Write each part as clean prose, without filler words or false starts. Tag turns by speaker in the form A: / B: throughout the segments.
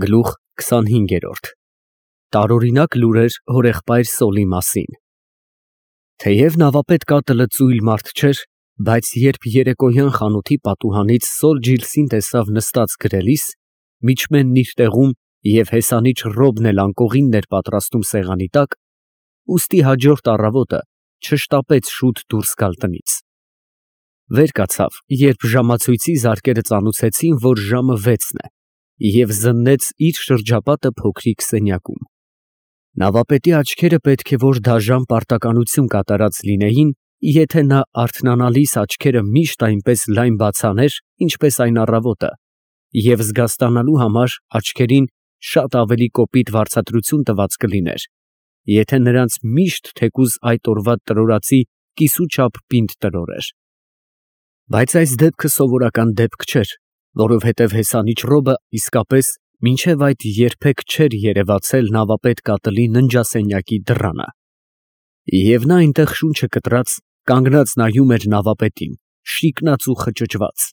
A: Գլուխ 25 Տարօրինակ լուրեր հորեղբայր Սոլի մասին։ Թեև նավապետ կատլը ծույլ մարդ չէր, բայց երբ երեկոյան խանութի պատուհանից Սոլ Ջիլսին տեսավ նստած գրելիս, միջմենն իր տեղում և հեսանիչ Ռոբն էլ անկողինն էր պատրաստում սեղանի տակ, ուստի հաջորդ առավոտը չշտապեց շուտ դուրս գալ տնից։ Վեր կացավ, երբ ժամացույցի զարկերը ծանուցեցին, որ ժամը 6-ն է, և զննեց իր շրջապատը փոքրիկ սենյակում։ Նավապետի աչքերը պետք է որ դաժան պարտականություն կատարած լինեին, եթե նա արթնանալիս աչքերը միշտ այնպես լայն բաց աներ, ինչպես այն առավոտը, և զգաստանալու համար աչքերին շատ ավելի կոպիտ վարձատրություն տված կլիներ, եթե նրանց միշտ թեկուզ այդ օրվա տրորացի կիսուչափ պինդ տրորեր։ Բայց այս դեպքը սովորական դեպք չէր, որովհետև հեսանիչ Ռոբը իսկապես մինչև այդ երբեք չէր երևացել նավապետ կատլի ննջասենյակի դռանը։ Եվ նա այնտեղ շունչը կտրած, կանգնած նայում էր նավապետին, շիկնած ու խճճված,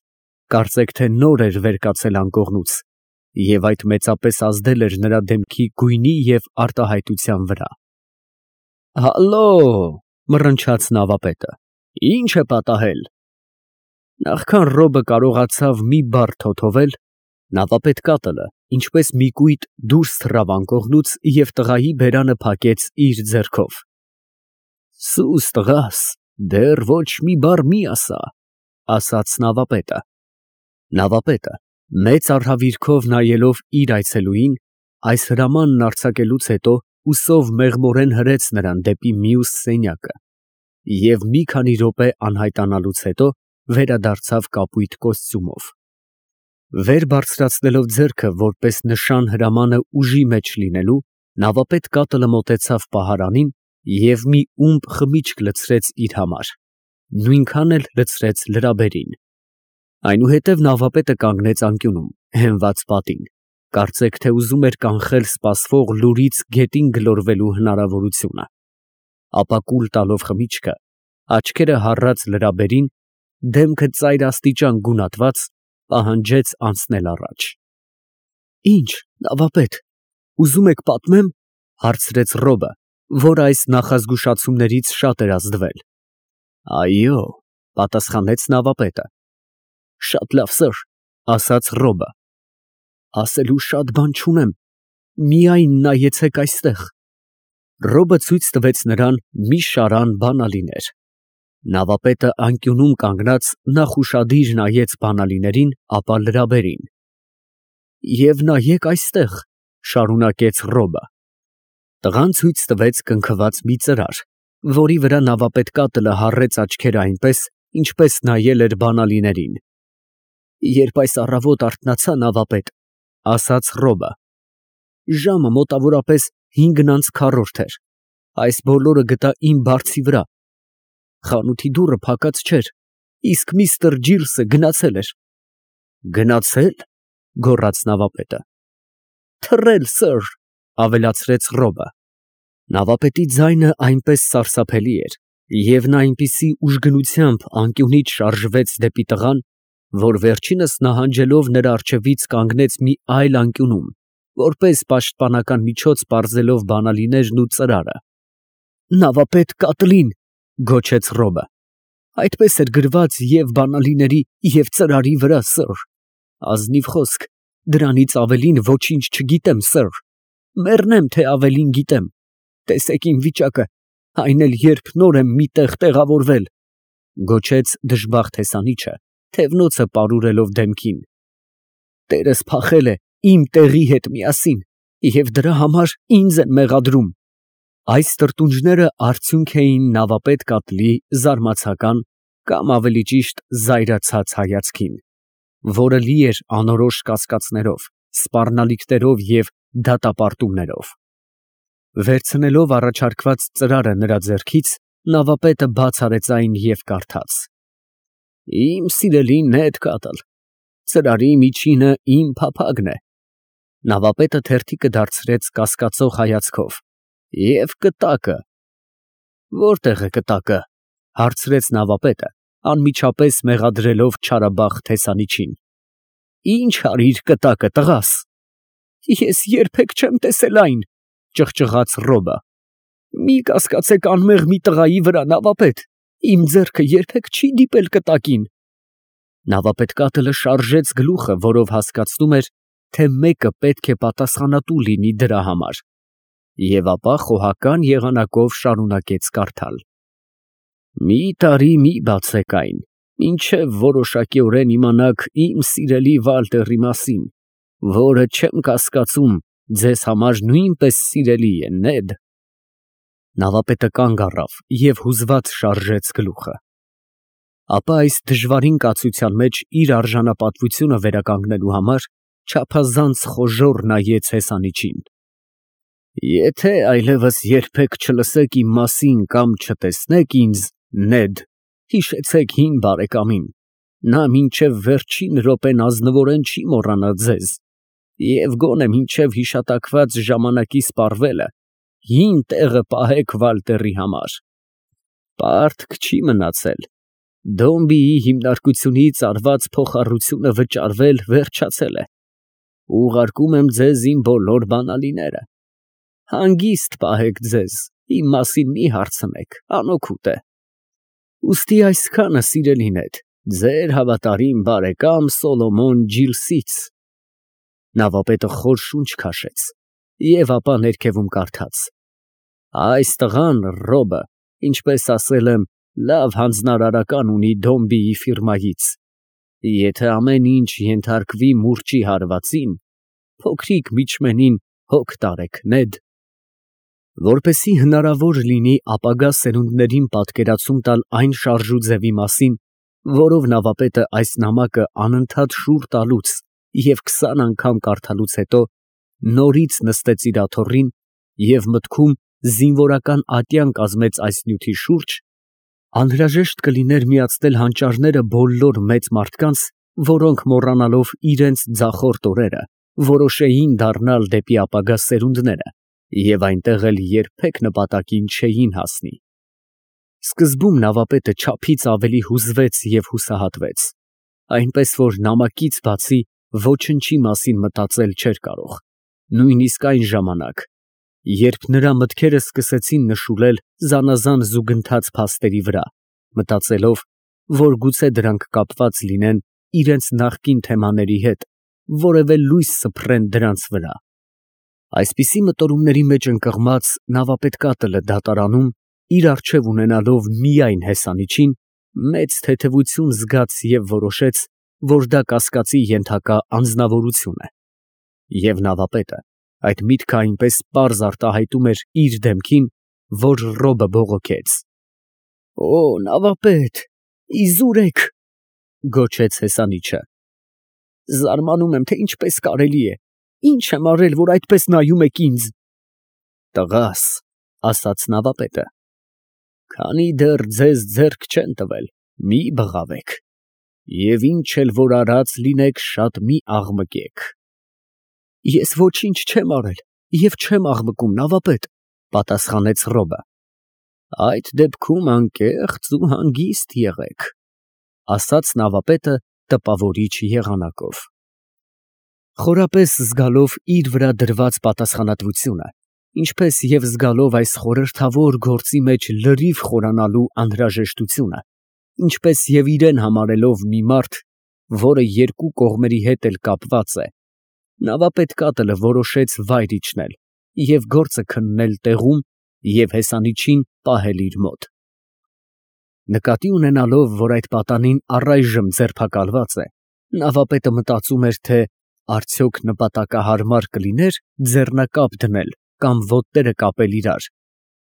A: կարծեք թե նոր էր վեր կացել անկողնուց, և այդ մեծապես ազդել էր նրա դեմքի գույնի և արտահայտության վրա։ «Հալո, մռնչաց նավապետը, ի՞նչ է պատահել»։ Նախքան Ռոբը կարողացավ մի բառ թոթովել, նավապետ կատլը, ինչպես մի կույտ, դուրս թռավ անկողնուց և տղայի բերանը փակեց իր ձեռքով։ «Սուս տղաս, դեռ ոչ մի բառ մի ասա», ասաց նավապետը։ Նավապետը, մեծ արհավիրքով նայելով իր այցելուին, այս հրամանն արձակելուց հետո ուսով մեղմորեն հրեց նրան դեպի մյուս սենյակը և մի քանի րոպե անհայտանալուց հետո վերադարձավ կապույտ կոստյումով։ Վեր բարձրացնելով ձեռքը, որպես նշան հրամանը ուժի մեջ լինելու, նավապետ կատլը մոտեցավ պահարանին և մի ումբ խմիչք լցրեց իր համար, նույնքան էլ լցրեց լրաբերին։ Այնուհետև նավապետը կանգնեց անկյունում, հենված պատին, կարծեք թե ուզում էր կանխել սպասվող լուրից գետին գլորվելու հնարավորությունը, ապա կուլ տալով խմիչքը, աչքերը հառած լրաբերին, դեմքը ծայրաստիճան գունատված, պահանջեց անցնել առաջ։ «Ի՞նչ, նավապետ, ուզում եք պատմեմ», հարցրեց Ռոբը, որ այս նախազգուշացումներից շատ էր ազդվել։ «Այո», պատասխանեց նավապետը։ «Շատ լավ, սըր», ասաց Ռոբը։ «Ասելու շատ բան չունեմ, միայն նայեցեք այստեղ»։ Ռոբը ցույց տվեց նրան մի շարան բանալիներ։ Նավապետը անկյունում կանգնած նախ ուշադիր նայեց բանալիներին, ապա լրաբերին։ «Եվ նայեք այստեղ», շարունակեց Ռոբը։ Տղան ցույց տվեց կնքված մի ծրար, որի վրա նավապետ կատլը հառեց աչքերը այնպես, ինչպես նայել էր բանալիներին։ «Երբ այս առավոտ արթնացա, նավապետ», ասաց Ռոբը, «ժամը մոտավորապես 5:40 էր, այս բոլորը գտա իմ բարձի վրա։ Խանութի դուռը փակած չէր, իսկ միստր Ջիլսը գնացել էր»։ «Գնացե՞լ», գոռաց նավապետը։ «Թռել, սըր», ավելացրեց Ռոբը։ Նավապետի ձայնը այնպես սարսափելի էր, և նա այնպիսի ուժգնությամբ անկյունից շարժվեց դեպի տղան, որ վերջինս նահանջելով նրա առջևից կանգնեց մի այլ անկյունում, որպես պաշտպանական միջոց պարզելով բանալիներն ու ծրարը։ «Նավապետ կատլին», գոչեց Ռոբը։ «Այդպես էր գրված և բանալիների, և ծրարի վրա, սըր։ Ազնիվ խոսք, դրանից ավելին ոչինչ չգիտեմ, սըր։ Մեռնեմ, թե ավելին գիտեմ։ Տեսեք իմ վիճակը, այն էլ երբ նոր եմ մի տեղ տեղավորվել», գոչեց դժբախտ հեսանիչը, թևնոցը պարուրելով դեմքին։ «Տերս փախել է իմ տեղի հետ միասին և դրա համար ինձ են մեղադրում»։ Այս տրտունջները արդյունք էին նավապետ կատլի զարմացական կամ ավելի ճիշտ զայրացած հայացքին, որը լի էր անորոշ կասկածներով, սպառնալիքներով և դատապարտումներով։ Վերցնելով առաջարկված ծրարը նրա ձեռքից, նավապետը բաց արեց այն և կարդաց. «Իմ սիրելի Նեդ Կատլ, ծրարի միջինը իմ փափագն է»։ Նավապետը թերթիկը դարձրեց կասկածող հայացքով։ «Եվ կտակը»։ «Որտե՞ղ է կտակը», հարցրեց նավապետը, անմիջապես մեղադրելով չարաբախտ հեսանիչին։ «Ի՞նչ արիր կտակը, տղաս»։ Ես երբեք չեմ տեսել այն, ճղճղաց Ռոբը։ Մի կասկածեք անմեղ մի տղայի վրա, նավապետ, իմ ձեռքը երբեք չի դիպել կտակին։ Նավապետկատելը շարժեց գլուխը, որով հասկացնում էր, թե մեկը պետք է պատասխանատու լինի դրա համար, և ապա խոհական եղանակով շարունակեց կարդալ. «Մի տարի մի բացեք այն, մինչև որոշակիորեն իմանաք իմ սիրելի Վալտերի մասին, որը չեմ կասկածում ձեզ համար նույնպես սիրելի է, Նեդ»։ Նավապետը կանգ առավ և հուզված շարժեց գլուխը։ Ապա այս դժվարին կացության մեջ իր արժանապատվությունը վերականգնելու համար չափազանց խոժոռ նայեց հեսանիչին։ «Եթե այլևս երբեք չլսեք իմ մասին կամ չտեսնեք ինձ, Նեդ, հիշեցեք հին բարեկամին, նա մինչև վերջին րոպեն ազնվորեն չի մոռանա ձեզ, և գոնե մինչև հիշատակված ժամանակի սպառվելը հին տեղը պահեք Վալտերի համար։ Պարտք չի մնացել, Դոմբիի հիմնարկությունից արված փոխառությունը վճարվել վերջացել է, ուղարկում եմ ձեզ իմ բոլոր բանալիները, հանգիստ պահեք ձեզ, իմ մասին մի հարցնեք, անօգուտ է։ Ուստի այսքանը, սիրելի Նեդ, ձեր հավատարիմ բարեկամ Սոլոմոն Ջիլսից։ Նավապետը խոր շունչ քաշեց և ապա ներքևում կարդաց. «Այս տղան, Ռոբը, ինչպես ասել եմ, լավ հանձնարարական ունի Դոմբիի ֆիրմայից։ Եթե ամեն ինչ ենթարկվի մուրճի հարվածին, փոքրիկ միջմենին հոգ տարեք, Նեդ»։ Որպեսզի հնարավոր լինի ապագա սերունդներին պատկերացում տալ այն շարժուձևի մասին, որով նավապետը այս նամակը անընդհատ շուռ տալուց և 20 անգամ կարդալուց հետո նորից նստեց իր աթոռին և մտքում զինվորական ատյան կազմեց այս նյութի շուրջ, անհրաժեշտ կլիներ միացնել հանճարները բոլոր մեծ մարդկանց, որոնք մոռանալով իրենց ձախորդ օրերը, որոշեին դառնալ դեպի ապագա սերունդները և այնտեղ էլ երբեք նպատակին չէին հասնի։ Սկզբում նավապետը չափից ավելի հուզվեց և հուսահատվեց, այնպես որ նամակից բացի ոչնչի մասին մտածել չէր կարող, նույնիսկ այն ժամանակ, երբ նրա մտքերը սկսեցին նշուլել զանազան զուգընթաց փաստերի վրա, մտածելով, որ գուցե դրանք կապված լինեն իրենց նախկին թեմաների հետ, որևէ լույս սփռեն դրանց վրա։ Այսպիսի մտորումների մեջ ընկղմած նավապետկատելը դատարանում, իր առջև ունենալով միայն հեսանիչին, մեծ թեթևություն զգաց և որոշեց, որ դա կասկածի ենթակա անձնավորություն է։ Եվ նավապետը այդ միտքը այնպես պարզ արտահայտում էր իր դեմքին, որ Ռոբը բողոքեց։ «Օ, նավապետ, իզուր եք», գոչեց հեսանիչը։ «Զարմանում եմ, թե ինչպես կարելի է, ինչ եմ արել, որ այդպես նայում եք ինձ»։ «Տղաս», ասաց նավապետը, «քանի դեռ ձեզ ձեռք չեն տվել, մի բղավեք, և ինչ էլ որ արած լինեք, շատ մի աղմկեք»։ «Ես ոչինչ չեմ արել և չեմ աղմկում, նավապետ», պատասխանեց Ռոբը։ «Այդ դեպքում անկեղծ ու հանգիստ եղեք», ասաց նավապետը տպավորիչ եղանակով։ Խորապես զգալով իր վրա դրված պատասխանատվությունը, ինչպես և զգալով այս խորհրդավոր գործի մեջ լրիվ խորանալու անհրաժեշտությունը, ինչպես և իրեն համարելով մի մարդ, որը երկու կողմերի հետ էլ կապված է, նավապետկատելը որոշեց վայր իջնել և գործը քննել տեղում և հեսանիչին պահել իր մոտ։ Նկատի ունենալով, որ այդ պատանին առայժմ ձերբակալված է, նավապետը մտածում էր, թե արդյոք նպատակահարմար կլիներ ձեռնակապ դնել կամ ոտները կապել իրար,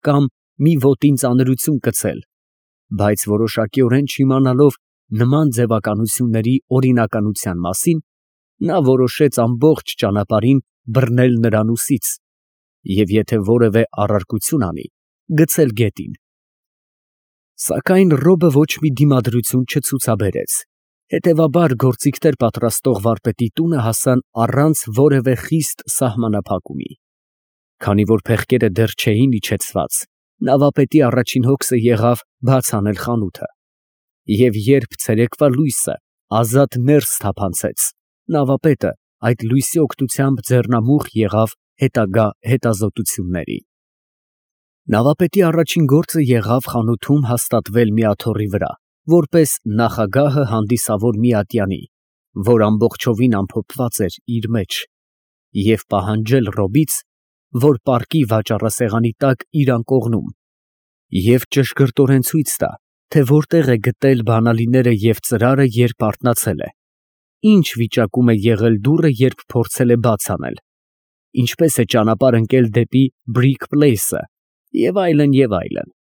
A: կամ մի ոտին ծանրություն կցել, բայց որոշակիորեն չիմանալով նման ձևականությունների օրինականության մասին, նա որոշեց ամբողջ ճանապարհին բռնել նրան ուսից և եթե որևէ առարկություն անի, գցել գետին։ Սակայն Ռոբը ոչ մի դիմադրություն չցուցաբերեց, հետևաբար գործիքներ պատրաստող վարպետի տունը հասան առանց որևէ խիստ սահմանափակումի։ Քանի որ փեղկերը դեռ չէին իջեցված, նավապետի առաջին հոգսը եղավ բաց անել խանութը, և երբ ցերեկվա լույսը ազատ ներս թափանցեց, նավապետը, այդ լույսի օգնությամբ ձեռնամուխ եղավ հետագա հետազոտությունների։ Նավապետի առաջին գործը եղավ խանութում հաստատվել մի աթոռի վրա, որպես նախագահը հանդիսավոր մի ատյանի, որ ամբողջովին ամփոփված էր իր մեջ, և պահանջել Ռոբից, որ պառկի վաճառասեղանի տակ իր անկողնում և ճշգրտորեն ցույց տա, թե որտեղ է գտել բանալիները և ծրարը, երբ արթնացել է, ինչ վիճակում է եղել դուռը, երբ փորձել է բաց անել, ինչպես է ճանապարհ ընկել դեպի Բրիկ Փլեյսը և այլն և այլն։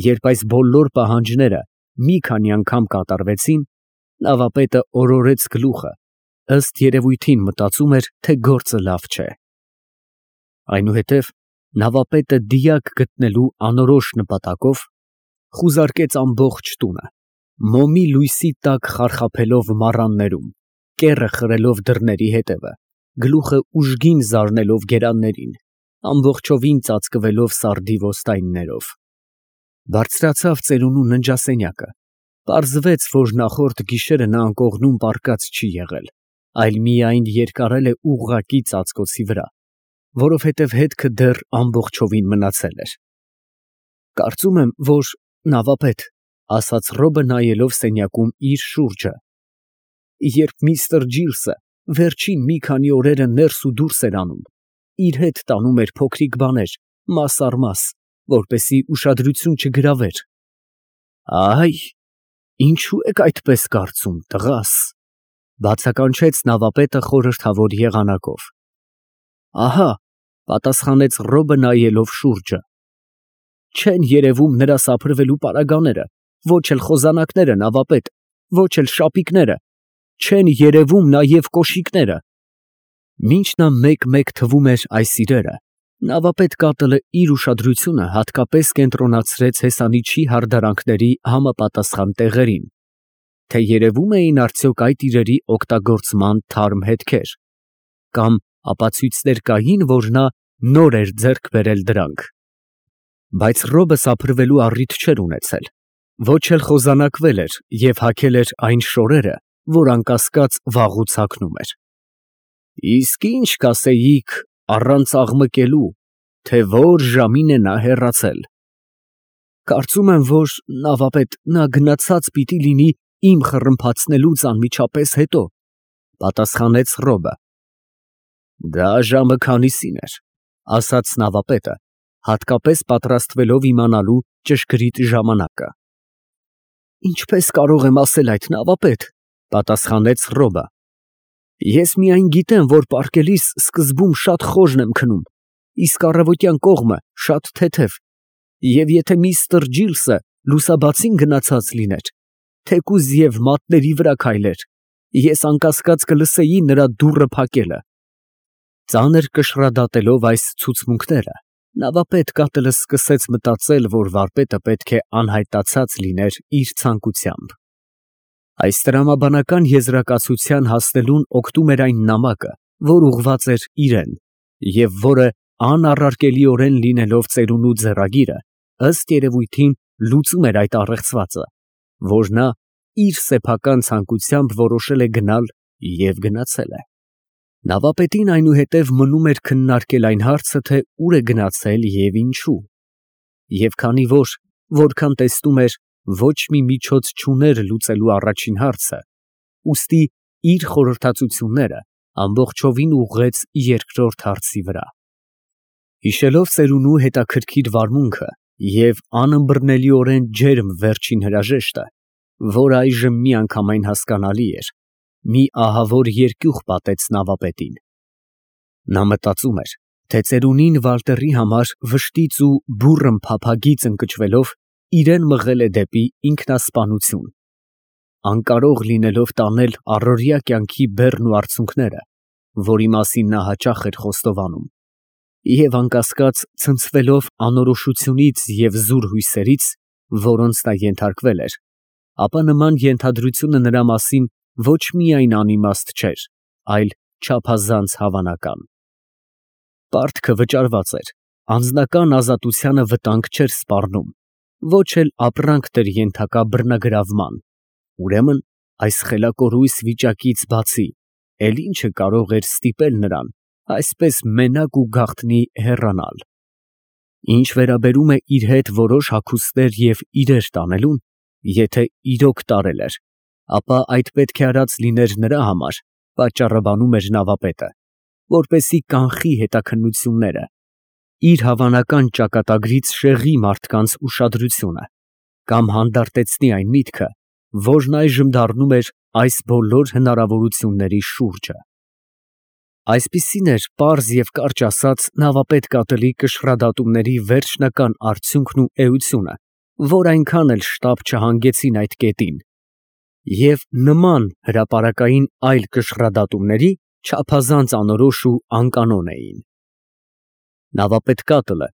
A: Երբ այս բոլոր պահանջները մի քանի անգամ կատարվեցին, նավապետը օրորեց գլուխը, ըստ երևույթին մտածում էր, թե գործը լավ չէ։ Այնուհետև նավապետը դիակ գտնելու անորոշ նպատակով խուզարկեց ամբողջ տունը, մոմի լույսի տակ խարխափելով մառաններում, կեռը խրելով դռների հետևը, գլուխը ուժգին զարնելով գերաններին, ամբողջովին ծածկվելով սարդի ոստայններով։ Բարձրացավ ծերունու ննջասենյակը, պարզվեց, որ նախորդ գիշերը նա անկողնում պառկած չի եղել, այլ միայն երկարել է ուղղակի ծածկոցի վրա, որովհետև հետքը դեռ ամբողջովին մնացել էր։ Կարծում եմ, որ նավապետ, ասաց Ռոբը նայելով սենյակում իր շուրջը, երբ միստր Ջիլսը վերջին մի քանի օրերը ներս ու դուրս էր անում, իր հետ տանում էր փոքրիկ բաներ, մաս առ մաս, որպեսզի ուշադրություն չգրավեր։ Այ, ինչու եք այդպես կարծում, տղաս, բացականչեց նավապետը խորհրդավոր եղանակով։ Ահա, պատասխանեց Ռոբը նայելով շուրջը, չեն երևում նրա սափրվելու պարագաները, ոչ էլ խոզանակները, նավապետ, ոչ էլ շապիկները, չեն երևում նաև կոշիկները։ Մինչ նա մեկ-մեկ թվում էր այս իրերը, նավապետ կատլը իր ուշադրությունը հատկապես կենտրոնացրեց հեսանիչի հարդարանքների համապատասխան տեղերին, թե երևում էին արդյոք այդ իրերի օգտագործման թարմ հետքեր, կամ ապացույցներ կային, որ նա նոր էր ձեռք բերել դրանք։ Բայց Ռոբը սափրվելու առիթ չէր ունեցել, ոչ էլ խոզանակվել էր և հագել էր այն շորերը, որ անկասկած վաղուց հագնում էր։ Իսկ ինչ կասեիք առանց աղմկելու, թե որ ժամին է նա հեռացել։ Կարծում եմ, որ նավապետ նա գնացած պիտի լինի իմ խռմփացնելուց անմիջապես հետո, պատասխանեց Ռոբը։ Դա ժամը քանիսին էր, ասաց նավապետը, հատկապես պատրաստվելով իմանալու ճշգրիտ ժամանակը։ Ինչպես կարող եմ ասել այդ, նավապետ, պատասխանեց Ռոբը։ Ես միայն գիտեմ, որ պառկելիս սկզբում շատ խոժն եմ քնում, իսկ առավոտյան կողմը շատ թեթև, և եթե միստր Ջիլսը լուսաբացին գնացած լիներ, թեկուզ և մատների վրա քայլեր, ես անկասկած կլսեի նրա դուռը փակելը։ Ծանր կշռադատելով այս ցուցմունքները, նավապետ կատլը սկսեց մտածել, որ վարպետը պետք է անհայտացած լիներ իր ցանկությամբ։ Այս տրամաբանական եզրակացության հասնելուն օգնում էր այն նամակը, որ ուղղված էր իրան, և որը անառարկելիորեն լինելով ծերունու ձեռագիրը, ըստ երևույթին լուծում էր այդ առեղծվածը, որ նա իր սեփական ցանկությամբ որոշել է գնալ և գնացել է։ Նավապետին այնուհետև մնում էր քննարկել այն հարցը, թե ուր է գնացել և ինչու։ Եվ քանի որ, որքան տեսնում էր, ոչ մի միջոց չուներ լուծելու առաջին հարցը, ուստի իր խորհրդածությունները ամբողջովին ուղղեց երկրորդ հարցի վրա։ Հիշելով ծերունու հետաքրքիր վարմունքը և անըմբռնելիորեն ջերմ վերջին հրաժեշտը, որ այժմ միանգամայն հասկանալի էր, մի ահավոր երկյուղ պատեց նավապետին։ Նա մտածում էր, թե ծերունին Վալտերի համար վշտից ու բուռն փափագից ընկճվելով իրան մղել է դեպի ինքնասպանություն, անկարող լինելով տանել առօրյա կյանքի բեռն ու արցունքները, որի մասին նա հաճախ էր խոստովանում, և անկասկած ցնցվելով անորոշությունից և զուր հույսերից, որոնց նա ենթարկվել էր, ապա նման ենթադրությունը նրա մասին ոչ միայն անիմաստ չէր, այլ չափազանց հավանական։ Պարտքը վճարված էր, անձնական ազատությանը վտանգ չէր սպառնում, ոչ էլ ապրանք դեր ենթակա բռնագրավման, ուրեմն այս խելակորույս վիճակից բացի էլ ինչը կարող էր ստիպել նրան այսպես մենակ ու գաղտնի հեռանալ։ Ինչ վերաբերում է իր հետ որոշ հագուստներ և իրեր տանելուն, եթե իրոք տարել էր, ապա այդ պետք է արած լիներ նրա համար, պատճառը բանում էր նավապետը, որպեսզի կանխի հետաքննությունները, իր հավանական ճակատագրից շեղի մարդկանց ուշադրությունը կամ հանդարտեցնի այն միտքը, որն այժմ դառնում էր այս բոլոր հնարավորությունների շուրջը։ Այսպիսին էր պարզ և կարճ ասած նավապետ կատելի կշռադատումների վերջնական արդյունքն ու էությունը, որ այնքան էլ շտապ չհանգեցին այդ կետին, և նման հրապարակային այլ կշռադատումների չափազանց անորոշ ու անկանոն էին։ Նավապետ կատլը,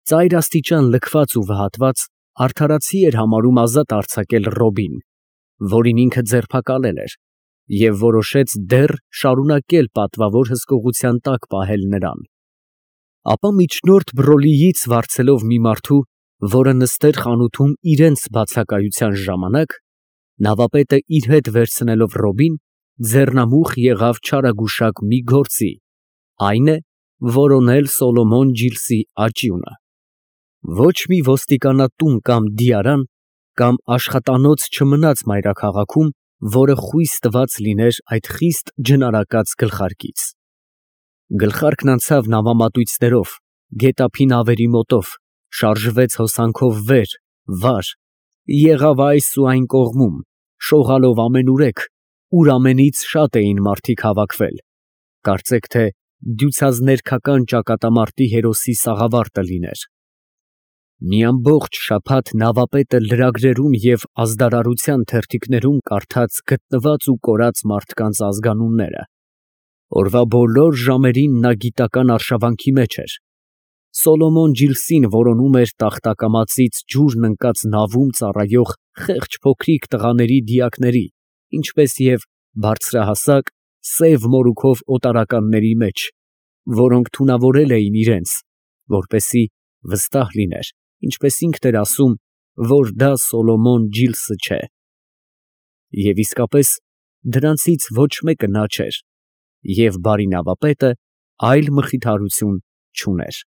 A: ծայր աստիճան լքված ու վհատված, արդարացի էր համարում ազատ արձակել Ռոբին, որին ինքը ձերբակալել էր, և որոշեց դեռ շարունակել պատվավոր հսկողության տակ պահել նրան։ Ապա միջնորդ Բրոլիից վարձելով մի մարդու, որը նստեր խանութում իրենց բացակայության ժամանակ, նավապետը իր հետ վերցնելով Ռոբին, ձեռնամուխ եղավ չարագուշակ մի գործի, այն է, որոնել Սոլոմոն Ջիլսի աճյունը։ Ոչ մի ոստիկանատուն կամ դիարան կամ աշխատանոց չմնաց մայրաքաղաքում, որը խույս տված լիներ այդ խիստ ջնարակած գլխարկից։ Գլխարկն անցավ նավամատույցներով, գետափի նավերի մոտով, շարժվեց հոսանքով վեր, վար, եղավ այս ու այն կողմում, շողալով ամենուրեք, ուր ամենից շատ էին մարդիկ հավաքվել, կարծեք թե դյուցազներքական ճակատամարտի հերոսի սաղավարտը լիներ։ Մի ամբողջ շաբաթ նավապետը լրագրերում և ազդարարության թերթիկներում կարդաց գտնված ու կորած մարդկանց ազգանունները։ Օրվա բոլոր ժամերին նա գիտական արշավանքի մեջ էր։ Սոլոմոն Ջիլսին որոնում էր տախտակամածից ջուրն ընկած նավում ծառայող խեղճ փոքրիկ տղաների դիակների, ինչպես և բարձրահասակ, սև մորուքով օտարականների մեջ, որոնք թունավորել էին իրենց, որպեսզի վստահ լիներ, ինչպես ինքն էր ասում, որ դա Սոլոմոն Ջիլսը չէ։ Եվ իսկապես դրանցից ոչ մեկը նա չէր, և բարի նավապետը այլ մխիթարություն չուներ։